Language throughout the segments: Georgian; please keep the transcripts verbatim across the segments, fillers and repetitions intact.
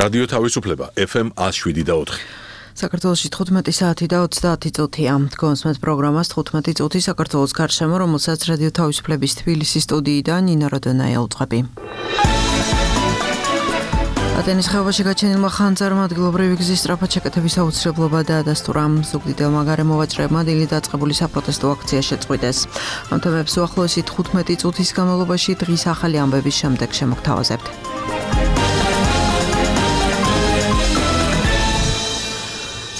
რადიო თავისუფლება ეფ ემ one oh seven და four. საქართველოში თხუთმეტი საათი და ოცდაათი წუთია. გონსმეთ პროგრამას თხუთმეტი წუთი საქართველოს გარშემო, რომელსაც რადიო თავისუფლების თბილისის სტუდიიდან ნინა როდონაია უძღვები. ატენის ხეობაში გაჩენილმა ხანძარმა ადგილობრივი გზის სწრაფად შეკეთების აუცილებლობა დაადასტურა. ზუგდიდელმა გარემოვაჭრებმა დილით დაწყებული საპროტესტო აქცია შეწყვიტეს. ამ თემებს უახლოესი თხუთმეტი წუთის განმავლობაში დღის ახალი ამბების შემდეგ შემოგთავაზებთ.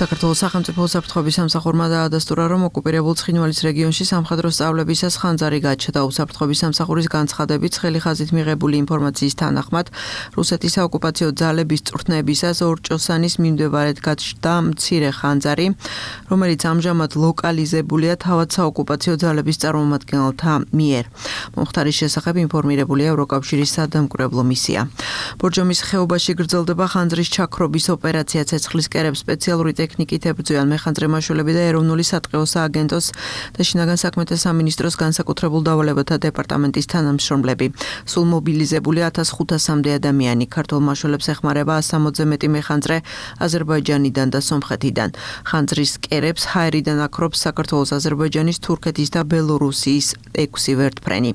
საქართველოს სახელმწიფო უსაფრთხოების სამსახურმა დაადასტურა, რომ ოკუპირებულ ცხინვალის რეგიონში სამხედრო სწავლებისას ხანძარი გაჩნდა. უსაფრთხოების სამსახურის განცხადებით, ცხელი ხაზით მიღებული ინფორმაციის თანახმად, რუსეთის საოკუპაციო ძალების წვრთნებისას ორჭოსანის მიმდებარედ გაჩნდა მცირე ხანძარი, რომელიც ამჟამად ლოკალიზებულია თავად საოკუპაციო ძალების წარმომადგენელთა მიერ. მომხდარის შესახებ ინფორმირებულია ევროკავშირის სადამკვირვებლო მისია. ბორჯომის ხეობაში გრძელდება ხანძრის ჩაქრობის ოპერაცია. ცეცხლის კერებს სპეციალური ტექნიკით ებრძვიან მეხანძრე მმართველები და ეროვნული სატყეო სააგენტოს და შინაგან საქმეთა სამინისტროს განსაკუთრებულ დავალებათა დეპარტამენტის თანამშრომლები. სულ მობილიზებული ათას ხუთასამდე ადამიანი. ქართულ მმართველებს ეხმარება ასამოცზე მეტი მეხანძრე აზერბაიჯანიდან და სომხეთიდან. ხანძრის კერებს ჰაერიდან აკრობს საქართველოს, აზერბაიჯანის, თურქეთის და ბელორუსიის ექვსი ვერტფრენი.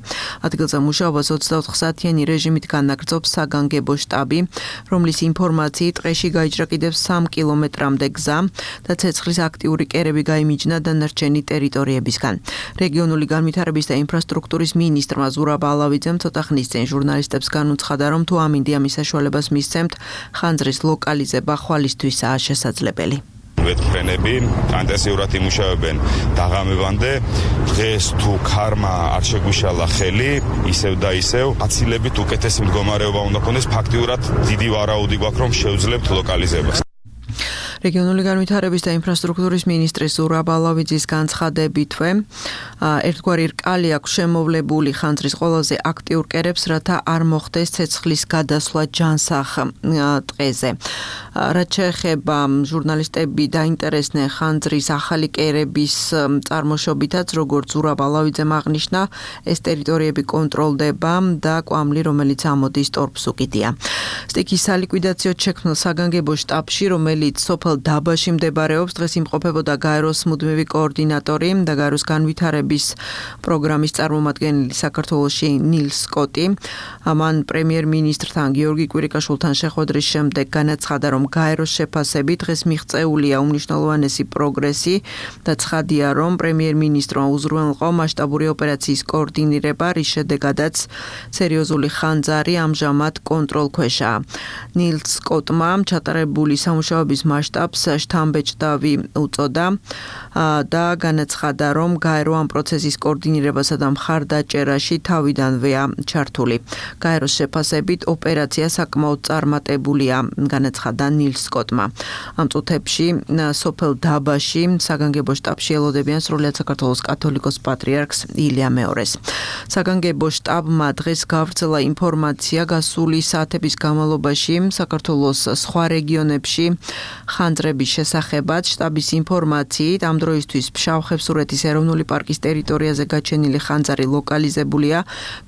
ადგილზე მუშაობას ოცდაოთხ საათიანი რეჟიმით განაგრძობს საგანგებო შტაბი, რომლის ინფორმაციით ტყეში გაიჭრა კიდევ სამ კილომეტრამდე გზა და ცეცხლის აქტიური კერები გაიმიჯნა დანარჩენი ტერიტორიებისგან. რეგიონული განვითარების და ინფრასტრუქტურის მინისტრმა ზურაბ ალავიძემ ცოტა ხნის წინ ჟურნალისტებს განუცხადა, რომ თუ ამინდიამის საშუალებას მისცემთ, ხანძრის ლოკალიზება ხვალისთვისაა შესაძლებელი. ვერტფრენები ანტენსიურად იმუშავებენ დაღამებამდე. დღეს თუ ქარმა არ შეგვიშალა ხელი, ისევ და ისევ აცილებით უკეთესი მდგომარეობა უნდა ქონდეს. ფაქტიურად დიდი ვარაუდი გვაქვს, რომ შევძლებთ ლოკალიზებას. რეგიონული განვითარების და ინფრასტრუქტურის მინისტრის ზურაბ ალავიძის განცხადებითვე, ერთგვარი რკალი აქვს შემოვლებული ხანძრის ყველაზე აქტიურ კერებს, რათა არ მოხდეს ცეცხლის გადასვლა ჯანსაღ ტყეზე. რაც შეეხება ჟურნალისტები დაინტერესდნენ ხანძრის ახალი კერების წარმოშობითაც, როგორც ზურაბ ალავიძემ აღნიშნა, ეს ტერიტორიები კონტროლდება და კვამლი, რომელიც ამოდის ტორფს უკიდია. სტიქის სალიკვიდაციოდ შექმნილ საგანგებო შტაბში, რომელიც სოფელ დაბაში მდებარეობს, დღეს იმყოფებოდა გაეროს მუდმივი კოორდინატორი და გაეროს განვითარების პროგრამის წარმომადგენელი საქართველოში ნილ სკოტი. მან პრემიერ-მინისტრთან გიორგი კვირიკაშვილთან შეხვედრის შემდეგ განაცხადა, რომ გაეროს შეფასებით დღეს მიღწეულია უმნიშვნელოვანესი პროგრესი და ცხადია, რომ პრემიერ-მინისტრმა უზრუნველყო მასშტაბური ოპერაციის კოორდინირება, რის შედეგადაც სერიოზული ხანძარი ამჟამად კონტროლქვეშაა. ნილ სკოტმა ჩატარებული სამუშაოების მასშტაბს შთამბეჭდავი უწოდა და განაცხადა, რომ გაერო ამ პროცესის კოორდინირებასა და მხარდაჭერაში თავიდანვეა ჩართული. გაეროს შეფასებით ოპერაცია საკმაოდ წარმატებულია, განაცხადა ნილ სკოტმა. ამ წუთებში სოფელ დაბაში საგანგებო შტაბში ელოდებიან სრულიად საქართველოს კათოლიკოს პატრიარქს ილია მეორეს. საგანგებო შტაბმა დღეს გავრცელა ინფორმაცია გასული საათების განმავლობაში საქართველოს სხვა რეგიონებში ხანძრების შესახებაც. შტაბის ინფორმაციით ამ დროისთვის ფშავ-ხევსურეთის ეროვნული პარკის ტერიტორიაზე გაჩენილი ხანძარი ლოკალიზებულია,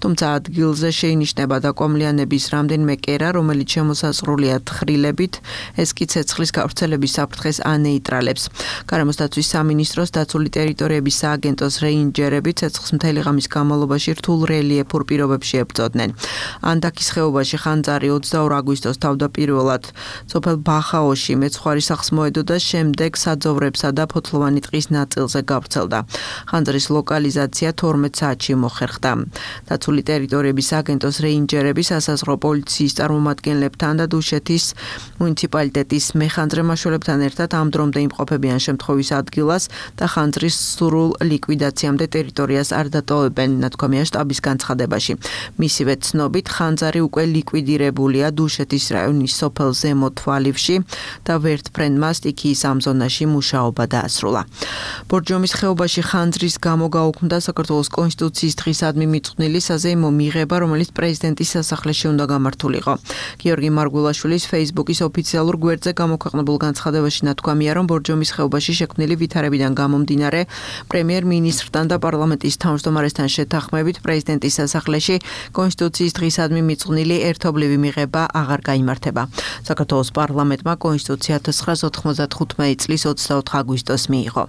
თუმცა ადგილზე შეინიშნება დაკვამლიანების რამდენიმე კერა, რომელიც შემოსაზღვრულია თხრილებით. ეს კი ცეცხლის გავრცელების საფრთხეს ანეიტრალებს. გარემოს დაცვის სამინისტროს დაცული ტერიტორიების სააგენტოს რეინჯერები ცეცხლს მთელი ღამის განმავლობაში რთულ რელიეფურ პირობებში ებრძოდნენ. ანდაქის ხეობაში ხანძარი ოცდაორ აგვისტოს თავდაპირველად სოფელ ბახაოში მეცხვარი სახლს მოედო და შემდეგ საძოვრებსა და ფოთლოვანი ტყის ნაწილზე გავრცელდა. ხანძრის ლოკალიზაცია თორმეტ საათში მოხერხდა. დაცული ტერიტორიების სააგენტოს რეინჯერები სასაზღვრო პოლიციის წარმომადგენლებთან და დუშეთის მუნიციპალიტეტის მეხანძრე მმართველებთან ერთად ამ დრომდე იმყოფებიან შემთხვევის ადგილას და ხანძრის სრულ ლიკვიდაციამდე ტერიტორიას არ დატოვებენ, ნათქვამია შტაბის განცხადებაში. მისივე ცნობით, ხანძარი უკვე ლიკვიდირებულია დუშეთის რაიონის სოფელ ზემო თვალივში და ვერტფრენი ფრენდმა სტიქიის ამ ზონაში მუშაობა დაასრულა. ბორჯომის ხეობაში ხანძრის გამო გაუქმდა საქართველოს კონსტიტუციის დღისადმი მიწყვნილი საზეიმო მიღება, რომელიც პრეზიდენტის სასახლეში უნდა გამართულიყო. გიორგი მარგულაშვილის Facebook-ის ოფიციალურ გვერდზე გამოქვეყნებულ განცხადებაში ნათქვამია, რომ ბორჯომის ხეობაში შექმნილი ვითარებიდან გამომდინარე, პრემიერ-მინისტრთან და პარლამენტის თავმჯდომარესთან შეთანხმებით პრეზიდენტის სასახლეში კონსტიტუციის დღისადმი მიწყვნილი ერთობლივი მიღება აღარ გაიმართება. საქართველოს პარლამენტმა კონსტიტუცია ათას ცხრაასა ოთხმოცდათხუთმეტი წლის ოცდაოთხ აგვისტოს მიიღო.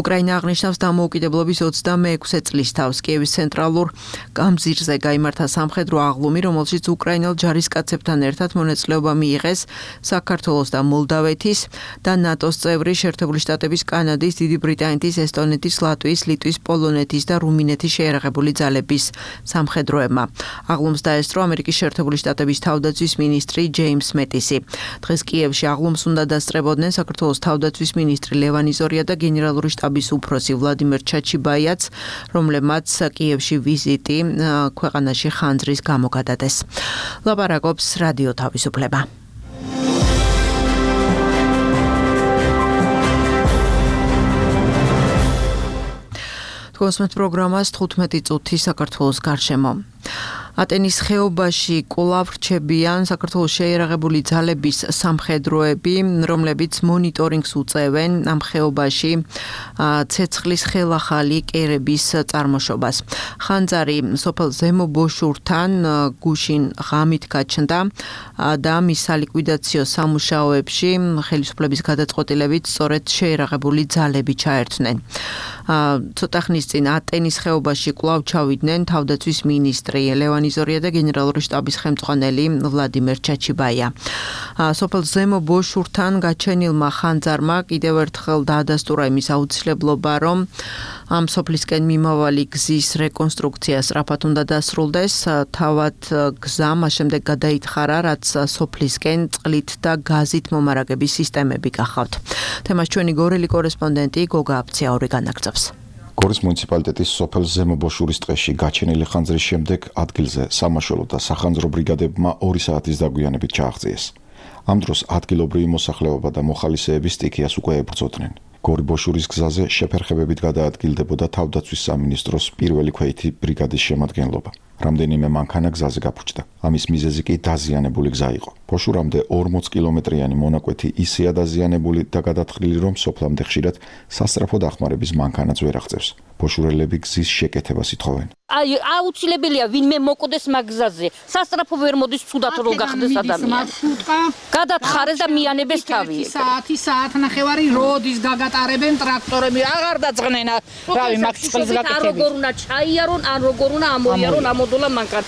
უკრაინა აღნიშნავს დამოუკიდებლობის ოცდამეექვსე წლის თავს. კიევის ცენტრალურ გამზირზე გაიმართა სამხედრო აღლუმი, რომელშიც უკრაინელ ჯარისკაცებთან ერთად მონაწილეობა მიიღეს საქართველოს და მოლდავეთის და ნატოს წევრი შეერთებული შტატების, კანადის, დიდი ბრიტანეთის, ესტონეთის, ლატვიის, ლიტვის, პოლონეთის და რუმინეთის შეიარაღებული ძალების სამხედროებმა. აღლუმს დაესწრო ამერიკის შეერთებული შტატების თავდაცვის მინისტრი ჯეიმს მეტისი. დღეს კიევში აღლუმს უნდა დასწრებოდნენ საქართველოს თავდაცვის მინისტრი ლევან იზორია და გენერალური შტაბის უფროსი ვლადიმერ ჩაჩიბაიაც, რომლებმაც კიევში ვიზიტი ქვეყანაში ხანძრის გამო გადადეს. ლაპარაკობს რადიო თავისუფლება. თქოსმეთ პროგრამას თხუთმეტი წუთი საქართველოს გარშემო. ატენის ხეობაში კვლავ რჩებიან საქართველოს შეიარაღებული ძალების სამხედროები, რომლებიც მონიტორინგს უწევენ ამ ხეობაში ცეცხლის ხელახალი კერების წარმოშობას. ხანძარი სოფელ ზემო ბოშურთან გუშინ ღამით გაჩნდა და მის სალიკვიდაციო სამუშაოებში ხელისუფლების გადაწყვეტილებით სწორედ შეიარაღებული ძალები ჩაერთნენ. ცოტა ხნის წინ ატენის ხეობაში კვლავ ჩავიდნენ თავდაცვის მინისტრი ლევან იზორია და გენერალური შტაბის ხელმძღვანელი ვლადიმერ ჩაჩიბაია. სოფელ ზემო ბოშურთან გაჩენილმა ხანძარმა კიდევ ერთხელ დაადასტურა იმის აუცილებლობა, რომ ამ სოფლისკენ მიმავალი გზის რეკონსტრუქცია სწრაფად უნდა დასრულდეს. თავად გზა მას შემდეგ გადაითხარა, რაც სოფლისკენ წყლით და გაზით მომარაგების სისტემები გახავთ. თემას ჩვენი გორელი კორესპონდენტი გოგა აფციაური განაგრძობს. გორის მუნიციპალიტეტის სოფელ ზემო ბოშურის ტყეში გაჩენილი ხანძრის შემდეგ ადგილზე სამაშველო და სახანძრო ბრიგადებმა ორი საათის დაგვიანებით ჩააღწიეს. ამ დროს ადგილობრივი მოსახლეობა და მოხალისეები სტიქიას უკვე ებრძოდნენ. გორი ბოშურის გზაზე შეფერხებებით გადაადგილდებოდა თავდაცვის სამინისტროს პირველი ქვეითი ბრიგადის შემადგენლობა. რამდენიმე მანქანა გზაზე გაფუჭდა. ამის მიზეზი კი დაზიანებული გზა იყო. ბოშურამდე ორმოც კილომეტრიანი მონაკვეთი ისეა დაზიანებული და გადათხრილი, რომ სოფლამდე ხშირად სასწრაფო დახმარების მანქანაც ვერ აღწევს. ბოშურელები გზის შეკეთებას ითხოვენ. აი აუცილებელია ვინმე მოკვდეს მაგზაზე. სასწრაფო ვერ მოდის ცუდად რო გახდეს ადამიანი. გადათხარეს და მიანებეს თავი. საათი საათნახევარი როდის გაგატარებენ ტრაქტორები, აღარ დაძღნენ რავი მაგ წყლის გაკეთებით. არ როგორ უნდა ჩაიარონ, ან როგორ უნდა ამოიარონ ამოდოლა მანქან.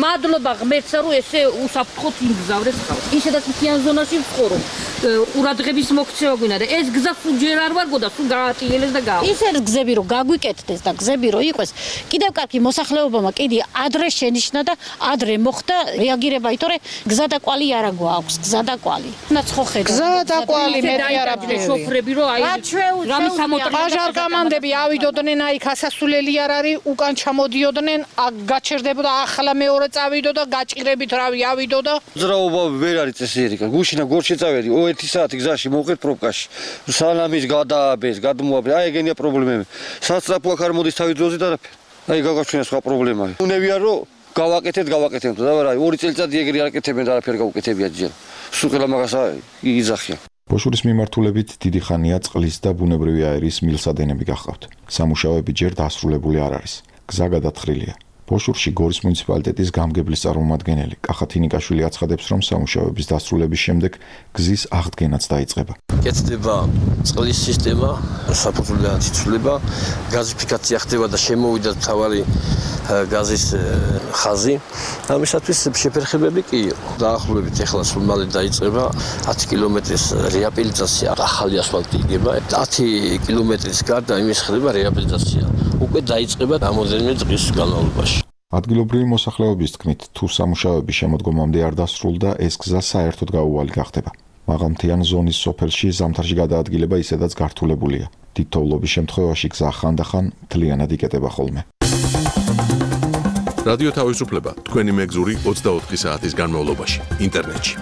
მადლობა ღმერთსა რომ ესე უსაფრთხოდ იმგზავრეს ხალხი. ისედაც მთიან ზონაში ვცხოვრობ. ყურადღების მოქცევა გვინდა და ეს გზა სულ ჯერ არ ვარ გოდა, სულ გაატიელეს და გავა. ის ერთ გზები რო გაგვიკეთდეს და გზები რო იყოს, კიდევ კარგი მოსახლეობამ კიდე ადრე შენიშნა და ადრე მოხდა რეაგირება, ითორე გზა და კვალი არა გვაქვს, გზა და კვალი. ნაცხოვხედა. გზა და კვალი მეტი არაფერი. შოფრები რო აი რამე სამოტრა ბაჟარ გამანდები ავიდოდნენ, აი გასასულელი არ არის, უკან ჩამოდიოდნენ, გაჩერდებოდა ახლა მეორე წავიდო და გაჭირებით რავი ავიდო და ძრაობა ვერ არის წესიერი. გუშინა გორში წავედი, ერთი საათი გზაში მოვყეთ პრობკაში. სალამის გადააბეს, გადმოაბეს, აი ეგენია პრობლემები. სასწრაფო აქ არ მოდის თავი დროზე და არაფერი. აი გაგაჩვენა სხვა პრობლემაა. უნებია რომ გავაკეთეთ, გავაკეთებთ და რა, ორი წელიწადი ეგრე არაკეთებენ და არაფერი გავუკეთებია ჯერ. სულ ყველა მაგას იძახიან. ბოშურის მიმართულებით დიდი ხანია წყლის და ბუნებრივი აერის მილსადენები გახავთ. სამუშაოები ჯერ დასრულებული არ არის. გზა გადათხრილია. ბოშურში გორის მუნიციპალიტეტის გამგებლის წარმომადგენელი კახათინიკაშვილი აცხადებს, რომ სამუშაოების დასრულების შემდეგ გზის აღდგენაც დაიწყება. კეთდება წყლის სისტემა, საფუძვლიანი ცვლილება, გაზიფიკაცია ხდება და შემოვიდა თავარი გაზის ხაზი. ამისათვის შეფერხებები კი დაახლოებით ეხლა სულ მალე დაიწყება ათი კილომეტრის რეაბილიტაცია, ახალი ასფალტი იგება. ათი კილომეტრის გარდა იმის ხდება რეაბილიტაცია. უკვე დაიწყება რამოდენიმე დღის განმავლობაში. ადგილობრივი მოსახლეობის თქმით, თუ სამუშაოები შემოდგომამდე არ დასრულდა, ეს გზა საერთოდ გაუვალი გახდება. მაღალმთიან ზონის სოფელში ზამთარში გადაადგილება ისედაც გართულებულია. დიდ თოვლობის შემთხვევაში გზა ხანდახან მთლიანად იკეტება ხოლმე. რადიო თავისუფლება თქვენი მეგზური ოცდაოთხი საათის განმავლობაში ინტერნეტში.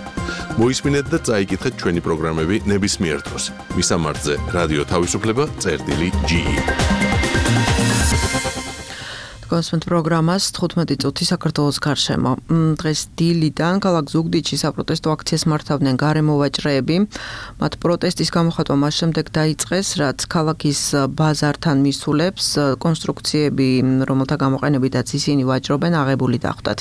მოისმინეთ და წაიკითხეთ ჩვენი პროგრამები ნებისმიერ დროს. მისამართზე რადიო თავისუფლება წერტილი ჯი ი. კონსმენტ პროგრამას თხუთმეტი წუთი საქართველოს გარშემო. დღეს დილიდან ქალაქ ზუგდიდში საპროტესტო აქციას მართავდნენ გარემოვაჭრეები. მათ პროტესტის გამოხატვა მას შემდეგ დაიწყეს, რაც ქალაქის ბაზართან მისულებს კონსტრუქციები, რომელთა გამოყენებითაც ისინი ვაჭრობენ, აღებული დახვდათ.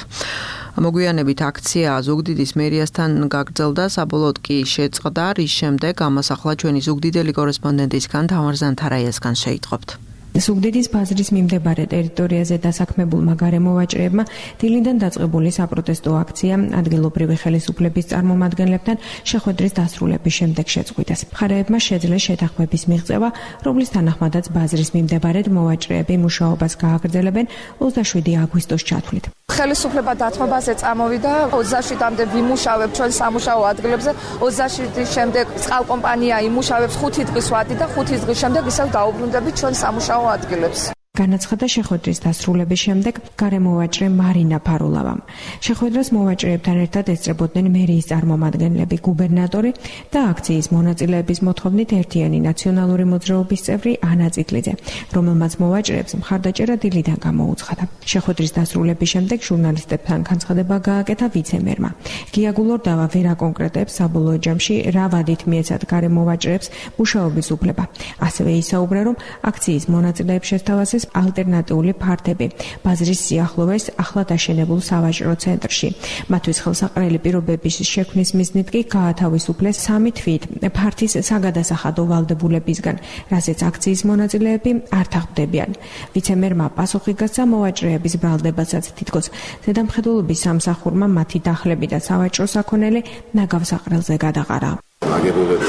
მოგვიანებით აქცია ზუგდიდის მერიასთან გაგრძელდა, საბოლოოდ კი შეწყდა, რის შემდეგ ამას ახლა ჩვენი ზუგდიდელი კორესპონდენტისგან თამარ ზანთარაიასგან შეიტყობთ. ზუგდიდის ბაზრის მიმდებარე ტერიტორიაზე დასაქმებულმა გარემოვაჭრეებმა დილიდან დაწყებული საპროტესტო აქცია ადგილობრივი ხელისუფლების წარმომადგენლებთან შეხვედრის დასრულების შემდეგ შეწყვიტეს. მხარეებმა შეძლეს შეთანხმების მიღწევა, რომლის თანახმადაც ბაზრის მიმდებარედ მოვაჭრეები მუშაობას გააგრძელებენ ოცდაშვიდი აგვისტოს ჩათვლით. ხელისუფლება დათმობაზე წამოვიდა, ოცდაშვიდამდე ვიმუშავებ ჩვენ სამუშაო ადგილებზე, ოცდაშვიდის შემდეგ წყალკომპანია იმუშავებს ხუთი დღის ვადი და ხუთი დღის შემდეგ ისევ დაუბრუნდებით ჩვენ სამუშაო ადგილებს. განაცხადა შეხვედრის დასრულების შემდეგ გარემოვაჭრე მარინა ფარულავამ. შეხვედრას მოვაჭრეებთან ერთად ესწრებოდნენ მერიის წარმომადგენლები, გუბერნატორი და აქციის მონაწილეების მოთხოვნით ერთიანი ნაციონალური მოძრაობის წევრი ანა წიტლიძე, რომელმაც მოვაჭრეებს მხარდაჭერა დილიდან გამოუცხადა. შეხვედრის დასრულების შემდეგ ჟურნალისტებთან განცხადება გააკეთა ვიცე-მერმა. გია გულორდავა ვერ აკონკრეტებს საბოლოო ჯამში რა ვადით მიეცათ გარემოვაჭრეებს მუშაობის უფლება. ასევე ისაუბრა, რომ აქციის მონაწილეებს შესთავაზეს ალტერნატიული ფართები ბაზრის სიახლოვეს ახლად აშენებულ სავაჭრო ცენტრში. მათთვის ხელსაყრელი პირობების შექმნის მიზნით კი გაათავისუფლეს სამი თვით ფართის საგადასახადო ვალდებულებისგან, რასაც აქციის მონაწილეები არ თახვდებიან. ვიცე-მერმა პასუხი გასცა მოვაჭრეების ბრალდებასაც, თითქოს ზედამხედველობის სამსახურმა მათი დახლები და სავაჭრო საქონელი ნაგავ საყრელზე გადაყარა. აგებულები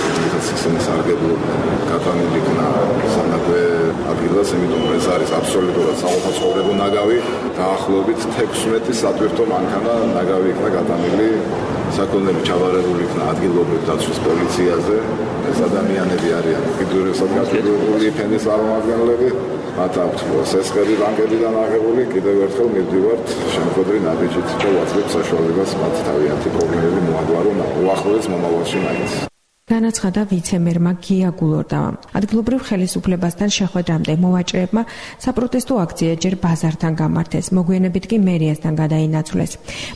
ისინი სარგებლობდნენ გატანილი იქნა სამნაგვე ადგილას, იმიტომ რომ ეს არის აბსოლუტურად საყოფაცხოვრებო ნაგავი. დაახლოებით თექვსმეტი სატვირთო მანქანა ნაგავი იქნა გატანილი, საქონლები ჩავარებული იქნა ადგილობრივ დაცვის პოლიციაზე. ეს ადამიანები არიან კიდურებსად გაწყვეტილი ფენის წარმომადგენლები, მათ აქვთ სესხები ბანკებიდან აღებული. კიდევ ერთხელ მივდივართ შემოქმედური ნაბიჯით და ვაძლევთ საშუალებას მათ თავიანთი პრობლემები მოაგვარონ უახლოეს მომავალში მაინც. განაცხადა ვიცე-მერმა გია გულორდავამ. ადგილობრივ ხელისუფლებასთან შეხვედრამდე მოვაჭრეებმა საპროტესტო აქცია ჯერ ბაზართან გამართეს, მოგვიანებით კი მერიასთან გადაინაცვლეს.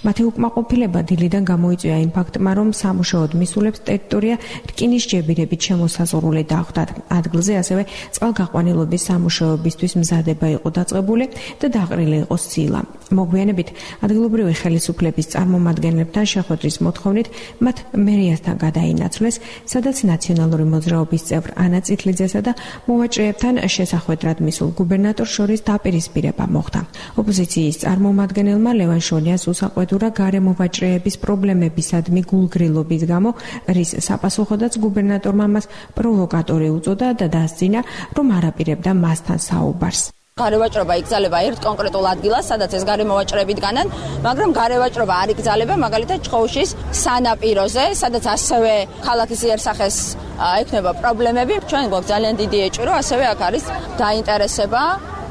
მათი უკმაყოფილება დილიდან გამოიწვია იმ ფაქტმა, რომ სამუშაოდ მისულებს ტერიტორია რკინის ჯებირებით შემოსაზღვრული დახვდათ. ადგილზე ასევე წყალგაყვანილობის სამუშაოებისთვის მზადება იყო დაწყებული და დაყრილი იყო სილა. მოგვიანებით ადგილობრივი ხელისუფლების წარმომადგენლებთან შეხვედრის მოთხოვნით მათ მერიასთან გადაინაცვლეს, სადაც ნაციონალური მოძრაობის წევრ ანა წიტლიძესა და მოვაჭრეებთან შესახვედრად მისულ გუბერნატორს შორის დაპირისპირება მოხდა. ოპოზიციის წარმომადგენელმა ლევან შონიას უსაყვედურა გარემოვაჭრეების პრობლემებისადმი გულგრილობის გამო, რის საპასუხოდაც გუბერნატორმა მას პროვოკატორი უწოდა და დასძინა, რომ არაპირებდა მასთან საუბარს. გარევაჭრობა იკრძალება ერთ კონკრეტულ ადგილას, სადაც ეს გარემოვაჭრეები დგანან, მაგრამ გარევაჭრობა არ იკრძალება მაგალითად ჭყოუშის სანაპიროზე, სადაც ასევე ქალაქის იერსახეს ექნება პრობლემები. ჩვენ გვაქვს ძალიან დიდი ეჭვი, ასევე აქ არის დაინტერესება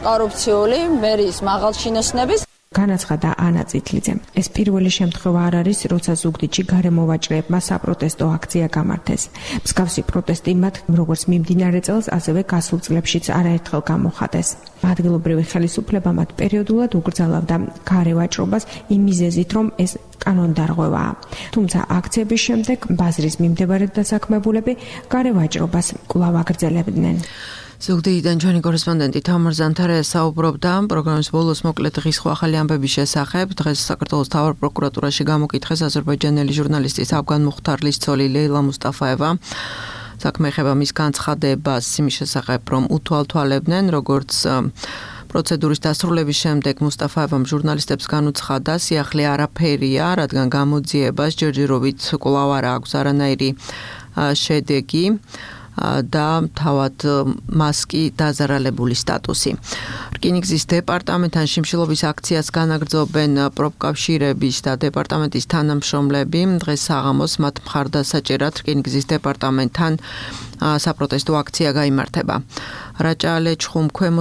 კორუფციული მერიის მაღალჩინოსნების. განაცხადა ანა წიტლიძე. ეს პირველი შემთხვევა არ არის, როცა ზუგდიდში გარემოვაჭრეებმა საპროტესტო აქცია გამართეს. მსგავსი პროტესტი მათ როგორც მიმდინარე წელს, ასევე გასულ წლებშიც არაერთხელ გამოხატეს. ადგილობრივი ხელისუფლება მათ პერიოდულად უკრძალავდა გარევაჭრობას იმ მიზეზით, რომ ეს კანონდარღვევაა. თუმცა აქციების შემდეგ ბაზრის მიმდებარე დასაქმებულები გარევაჭრობას კვლავ აგრძელებდნენ. ზუგდიდიდან ჩვენი კორესპონდენტი თამარ ზანთარაია საუბრობდა პროგრამის ბოლოს მოკლედ დღის სხვა ახალი ამბების შესახებ. დღეს საქართველოს მთავარ პროკურატურაში გამოკითხეს აზერბაიჯანელი ჟურნალისტის ავგან მუხთარლის ცოლი ლეილა მუსტაფაევა. საქმე ეხება მის განცხადებას იმის შესახებ, რომ უთვალთვალებდნენ, როგორც პროცედურის დასრულების შემდეგ მუსტაფაევამ ჟურნალისტებს განუცხადა, სიახლე არაფერია, რადგან გამოძიებას ჯერჯერობით კვლავ არ აქვს არანაირი შედეგი. და თავად მას კი დაზარალებული სტატუსი. რკინიგზის დეპარტამენტთან შიმშილობის აქციას განაგრძობენ პროფკავშირების და დეპარტამენტის თანამშრომლები. დღეს საღამოს მათ მხარდასაჭერად რკინიგზის დეპარტამენტთან საპროტესტო აქცია გაიმართება. რაჭა-ლეჩხუმ ქვემო